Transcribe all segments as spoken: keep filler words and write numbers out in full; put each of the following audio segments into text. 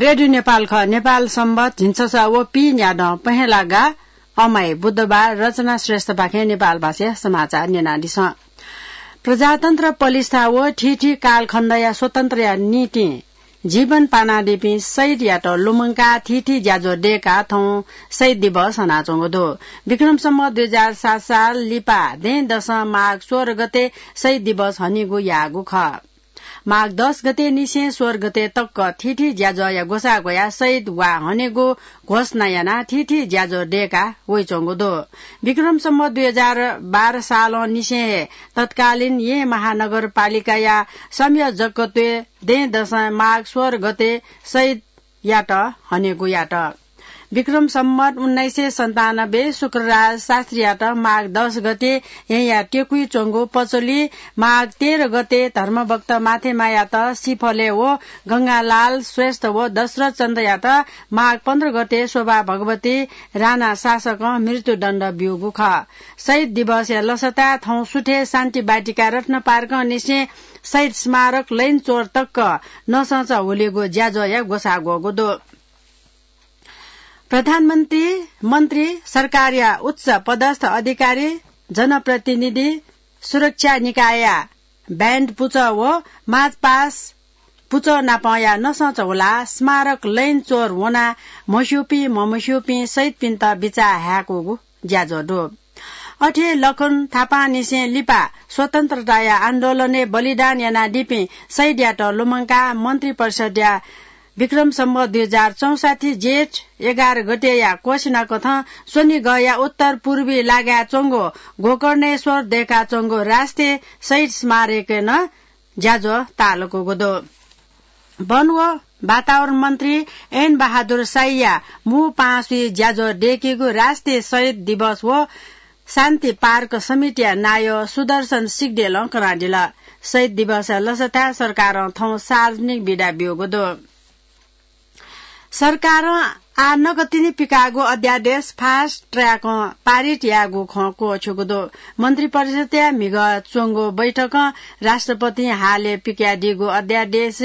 रेडियो नेपाल खः। नेपाल संवत झिंछसः व पीन्यादँ पहेँलागा अमाइ बुधबार रचना श्रेष्ठपाखें नेपाल भाषाया समाचार न्यनादिसँ। प्रजातन्त्र पलिस्था व थीथी कालखण्डया स्वतन्त्रया निंतिं जीवन पानादीपिं शहीदयात लुमंकाः थीथी ज्याझ्वः दय्काः थौं शहीद दिवस हनाच्वंगु दु। विक्रम सम्वत दुई हजार सात साल लिपा दँय्दसं माघ सोह्र गते शहीद दिवस हनेगु याःगु खः। माघ दस गते निसें सोह्र गते तक थीथी ज्याझ्वःया ग्वसाः ग्वयाः शहीद वा हनेगु घोषणा यानाः थीथी ज्याझ्वः दय्का वइच्वंगु दु। विक्रम सम्वत दुई हजार बाह्र सालं निसें हे तत्कालीन येँ महानगरपालिकाया संयोजकत्वय् दँय्दसं माघ सोह्र गते शहीदयात हनेगु यात। विक्रम सम्वत उन्नाइस सय सन्तानब्बे शुक्रराज शास्त्रीयात माघ दस गते येँया टेकुइ च्वंगु पचोली, माघ तेह्र गते धर्मभक्त माथेमायात सिफलय् व गंगालाल श्रेष्ठ व दशरथ चन्द्रयात माघ पन्ध्र गते शोभा भगवती राणा शासकं मृत्युदण्ड ब्यूगु खः। शहीद दिवसया लसताय् थौं सुथय् शान्ति बाटिका रत्न पार्कं निसें शहीद स्मारक लैनचोर तक नसंच हुलिगु ज्याझ्वःया ग्वसाः ग्वःगु दु। प्रधानमन्त्री, मन्त्री, सरकारया उच्च पदस्थ अधिकारी, जनप्रतिनिधि, सुरक्षा निकायया ब्यान्ड पुचः व मार्चपास्ट पुचः नापंया नसंच हुलाः स्मारक लैनचोर वनाः म्हस्यूपिं ममस्यूपिं शहीदपिन्त बिचाः हाय्कूगु ज्याझ्वः दु। अथे लखन थापांनिसें लिपा स्वतन्त्रताया आन्दोलनय् बलिदान यानादीपिं शहीदयात लुमंकाः मन्त्रिपरिषद्या विक्रम सम्वत दुई हजार चौसट्ठी जेठ एघार गतेया क्वःछिनाकथं स्वनिगःया उत्तर पूर्वी लागाय् च्वंगु गोकर्णेश्वर दय्काच्वंगु राष्ट्रिय शहीद स्मारकय् नं ज्याझ्वः ताःलाकूगु दु। वन व वातावरण मन्त्री ऐन बहादुर शाहीया मू पाँसुइ ज्याझ्वः दय्कीगु राष्ट्रिय शहीद दिवस व शान्ति पार्क समितिया नायः सुदर्शन सिग्देलं कनादिल। शहीद दिवसया लसताय् सरकारं थौं सार्वजनिक बिदा ब्यूगु दु। सरकारं आः नकतिनि पिकाःगु अध्यादेश फास्ट ट्र्याकं पारित यायेगु खँ क्वःछ्यूगु दु। मन्त्रिपरिषदया म्हिगः च्वंगु बैठकं राष्ट्रपतिं हालय् पिकयादीगु अध्यादेश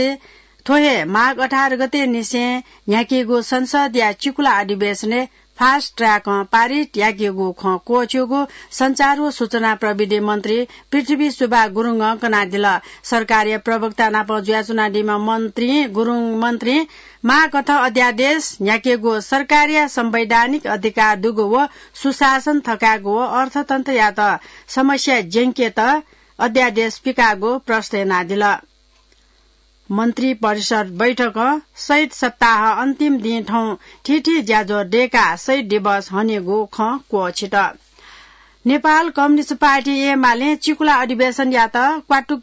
थ्व हे माघ अठार गते निसें न्ह्याकीगु संसदया चिकुला अधिवेशनय् फास्ट ट्र्याकं पारित याकीगु खँ क्वःछ्यूगु सञ्चार व सूचना प्रविधि मन्त्री पृथ्वी सुब्बा गुरुङं कनादिल। सरकारया प्रवक्ता नाप जुयाच्वनादीम्ह मन्त्री गुरुङ मन्त्री माःकथं अध्यादेश न्ह्याकेगु सरकारया संवैधानिक अधिकार दुगु व सुशासन थकायेगु व अर्थतन्त्रयात समस्या ज्यंकेत अध्यादेश पिकाःगु प्रष्ट यानादिल। मन्त्रिपरिषद बैठकं शहीद सप्ताह अन्तिम दिं थौं थीथी ज्याझ्वः दय्काः शहीद दिवस हनेगु खँ क्वःछित। नेपाल कम्युनिस्ट पार्टी एमालें चिकुला अधिवेशनयात क्वातुक,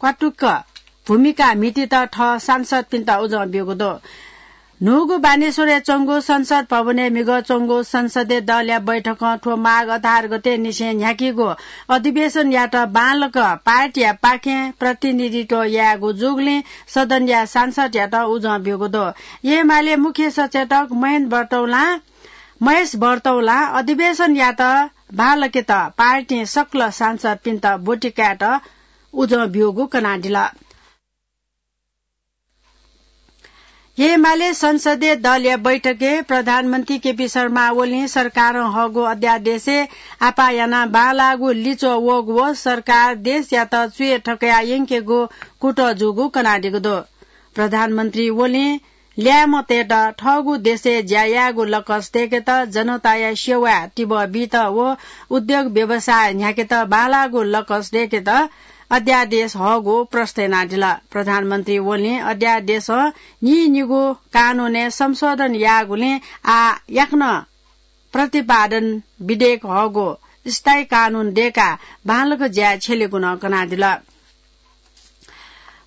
क्वातुक भूमिका म्हितीत थः सांसदपिन्त उजं ब्यूगु दु। न्हूगु बानेश्वरय् च्वंगु संसद भवनय् म्हिगः च्वंगु संसदीय दलया बैठकं थ्व माघ अठार गते निसें न्ह्याकीगु अधिवेशनयात बांलाक पार्टीया पाखें प्रतिनिधित्व यायेगु जूगुलिं सदनया सांसदयात उजं ब्यूगु दु। एमाले मुख्य सचेतक महेश बर्तौलां, महेश बर्तौलां अधिवेशनयात बांलाकेत पार्टीं सकल सांसदपिन्त ब्वति कायेत उजं ब्यूगु कनादिल। एमाले संसदीय दलया बैठकय् प्रधानमन्त्री केपी शर्मा ओलीं सरकारं हःगु अध्यादेशय् आपाः यानाः बांलाःगु लिच्वः वःगु व सरकार देशयात च्वय् थकया यंकेगु कुतः जूगु कनादीगु दु। प्रधानमन्त्री ओलीं ल्याय्म्हतय्त थःगु देशय् ज्या यायेगु लकस दय्केत, जनताया सेवाय् तिबः बीत व उद्योग व्यवसाय न्ह्याकेत बांलाःगु लकस दय्केत अध्यादेश हःगु प्रष्ट यानादिल। प्रधानमन्त्री ओलीं अध्यादेशं नीनिगू कानूनय् संशोधन याःगुलिं आः याकनं प्रतिपादन विधेयक हःगु स्थायी कानून दय्काः बांलाक ज्या छ्यलेगु नं कनादिल।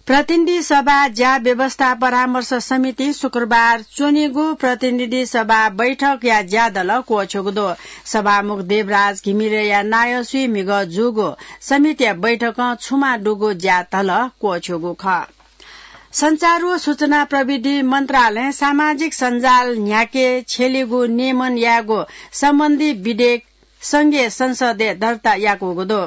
प्रतिनिधि सभा ज्या व्यवस्था परामर्श समितिं शुक्रबार च्वनीगु प्रतिनिधि सभा बैठकया ज्यादल क्वःछ्यूगु दु। सभामुख देवराज घिमिरेया नायःसुइ म्हिगः जूगु समितिया बैठकं छुमा दुगु ज्यादल क्वःछ्यूगु खः। सञ्चार व सूचना प्रविधि मन्त्रालयं सामाजिक सञ्जाल न्ह्याके छ्यलेगु नियमन यायेगु सम्बन्धी विधेयक संघीय संसदय् दर्ता याकूगु दु।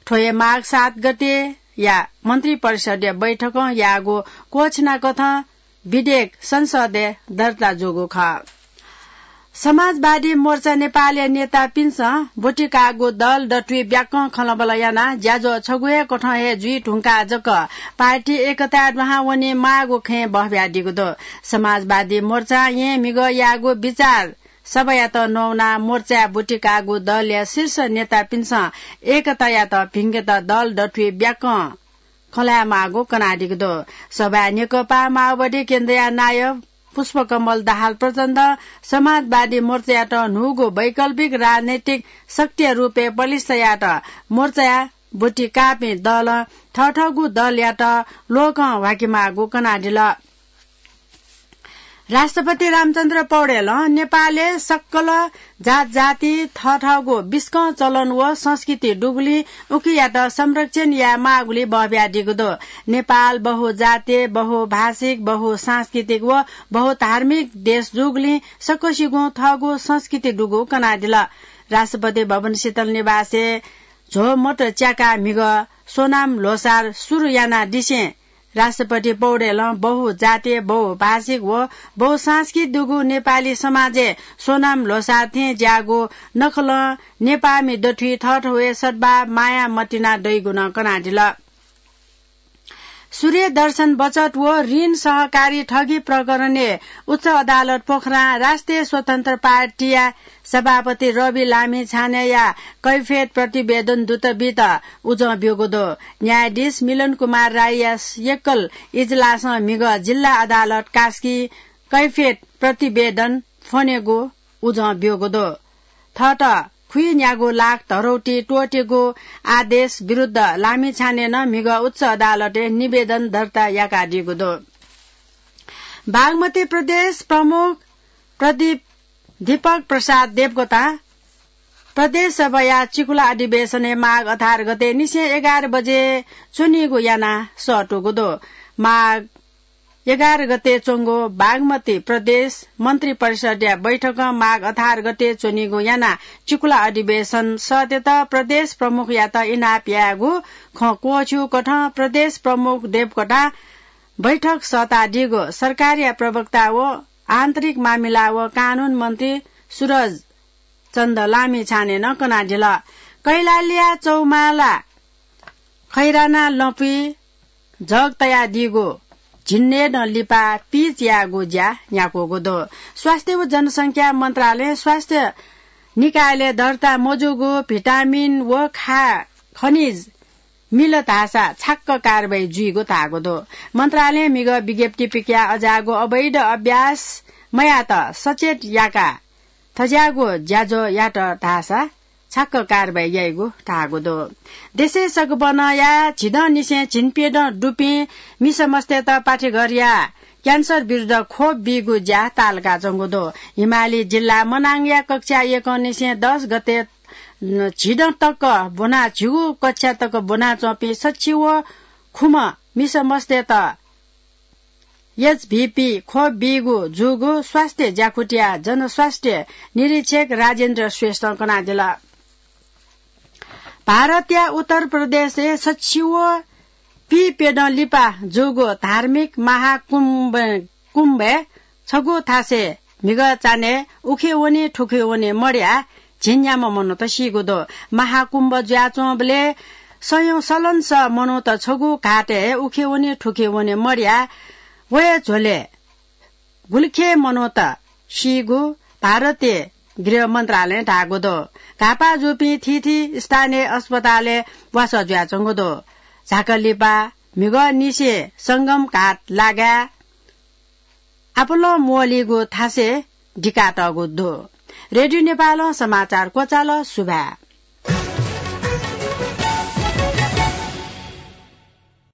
थ्व हे माघ सात गतेया मन्त्रिपरिषदया बैठकं याःगु क्वःछिनाकथं विधेयक संसदय् दर्ता जूगु खः। समाजवादी मोर्चा नेपालया नेतापिन्सं ब्वति काःगु दल दथुइ ब्याकं खँल्हाबल्हा यानाः ज्याझ्वः छगू हे कथं हे जुइ धुंकाः जक पार्टी एकताय् दुहां वने माःगु खँय् बहबियादीगु दु। समाजवादी मोर्चां येँ म्हिगः याःगु विचार सभायात नवानाः मोर्चाय् ब्वति काःगु दलया शीर्ष नेतापिन्सं एकतायात भिंकेत दल दथुइ ब्याकं खँ ल्हायेमाःगु कनादीगु दु। सभाय् नेकपा माओवादी केन्द्रया नायब पुष्पकमल दाहाल प्रचण्डं समाजवादी मोर्चायात न्हूगु वैकल्पिक राजनैतिक शक्तिया रूपय् पलिस्था यायेत मोर्चाय् ब्वति काःपिं दलं थःथःगु दलयात ल्वहकं ह्वाकेमाःगु कनादिल। राष्ट्रपति रामचन्द्र पौडेलं नेपालय् सकल जातजाति थःथःगु बिस्कं चलन व संस्कृति दुगुलिं उकियात संरक्षण यायेमाःगुलिं बहबियादीगु दु। नेपाल बहुजातीय, बहुभाषिक, बहुसांस्कृतिक व बहुधार्मिक देश जूगुलिं सकसिगुं थःगु संस्कृति दुगु कनादिल। राष्ट्रपति भवन शीतल निवासय् झ्वमत च्याकाः म्हिगः सोनाम ल्होसार सुरु यानादिसें राष्ट्रपति पौडेलं बहुजातीय, बहुभाषिक व बहुसांस्कृतिक दुगु नेपाली समाजय् सोनाम ल्होसार थें ज्याःगु नखलं नेपाःमि दथुइ थःथवय् सद्भाव माया मतिना दइगु नं कनादिल। सूर्य दर्शन बचत व ऋण सहकारी ठगी प्रकरणय् उच्च अदालत पोखरां राष्ट्रिय स्वतन्त्र पार्टीया सभापति रवि लामिछानेया कैफियत प्रतिवेदन दूतबित उजं ब्यूगु दु। न्यायाधीश मिलन कुमार राईया एकल इजलासं म्हिगः जिल्ला अदालत कास्की कैफियत प्रतिवेदन फ्वनेगु उजं ब्यूगु दु। थःत खुइन्यागू लाख धरौटी त्वःतेगु आदेश विरुद्ध लामिछानेनं म्हिगः उच्च अदालतय् निवेदन दर्ता याकादीगु दु। बागमती प्रदेश प्रमुख प्रदीप, दीपक प्रसाद देवकोटा प्रदेश सभाया चिकुला अधिवेशनय् माघ अठार गते निसें एघार बजे च्वनीगु यानाः सःतूगु दु। माघ एघार गते च्वंगु बागमती प्रदेश मन्त्री परिषदया बैठकं माघ अठार गते च्वनीगु यानाः चिकुला अधिवेशन सःतेत प्रदेश प्रमुखयात इनाप यायेगु खँ क्वःछ्यू कथं प्रदेश प्रमुख देवकोटां बैठक सःतादीगु सरकारया प्रवक्ता व आन्तरिक मामिला व कानून मन्त्री सुरज चन्द लामिछानेनं कनादिल। कैलालीया चौमाला खैराना लँपुइ जग तयादीगु झिंन्हय्‌दँ लिपा पिच यायेगु ज्या न्ह्याकूगु दु। स्वास्थ्य व जनसंख्या मन्त्रालयं स्वास्थ्य निकायलय् दर्ता मजूगु भिटामिन व खा-, खनिज मिल धाःसा छाक्क कारवाही जुइगु धाःगु दु। मन्त्रालयं म्हिगः विज्ञप्ति पिकयाः अज्याःगु अवैध अभ्यास मयात सचेत याकाः थज्याःगु ज्याझ्वः यात धाःसा छाक्क कारवाही याइगु धाःगु दु। देशय् सकबनया झिदँनिसें झिंप्यदँ दुपिं मिसामस्तय्‌त पाठेघरया क्यान्सर विरुद्ध खोप बीगु ज्या ताःलाकाच्वंगु दु। हिमाली जिल्ला मनाङया कक्षा एकंनिसें दस गते झिदँ तक ब्वना, झिगू कक्षा तक ब्वनाच्वंपिं सच्छि व खुम्ह मिसामस्तय्‌त एचभिपी खोप बीगु जूगु स्वास्थ्य ज्याकुथिया जनस्वास्थ्य निरीक्षक राजेन्द्र श्रेष्ठं कनादिल। भारतया उत्तर प्रदेशय् सच्छि व पीप्यदँ लिपा जूगु धार्मिक महाकुम्भ, कुम्भय् छगू थासय् म्हिगः चान्हय् उखे वने थुखे वने मदयाः झिंन्याम्ह मनूत सीगु दु। महाकुम्भ जुयाच्वंबलय् सयौं सलंसः मनूत छगू घाटय् उखे वने थुखे वने मदयाः वये झ्वलय् गुलिखे मनूत सीगु भारतीय गृह मन्त्रालयं धाःगु दु। घाःपाः जूपिं थीथी स्थानीय अस्पतालय् वासः जुयाच्वंगु दु। झाकलिपा म्हिगःनिसें संगम घाट लागाय् आपालं म्वःल्हीगु थासय् दिकातःगु दु। रेडियो नेपालं समाचार क्वचाल। सुभाय्।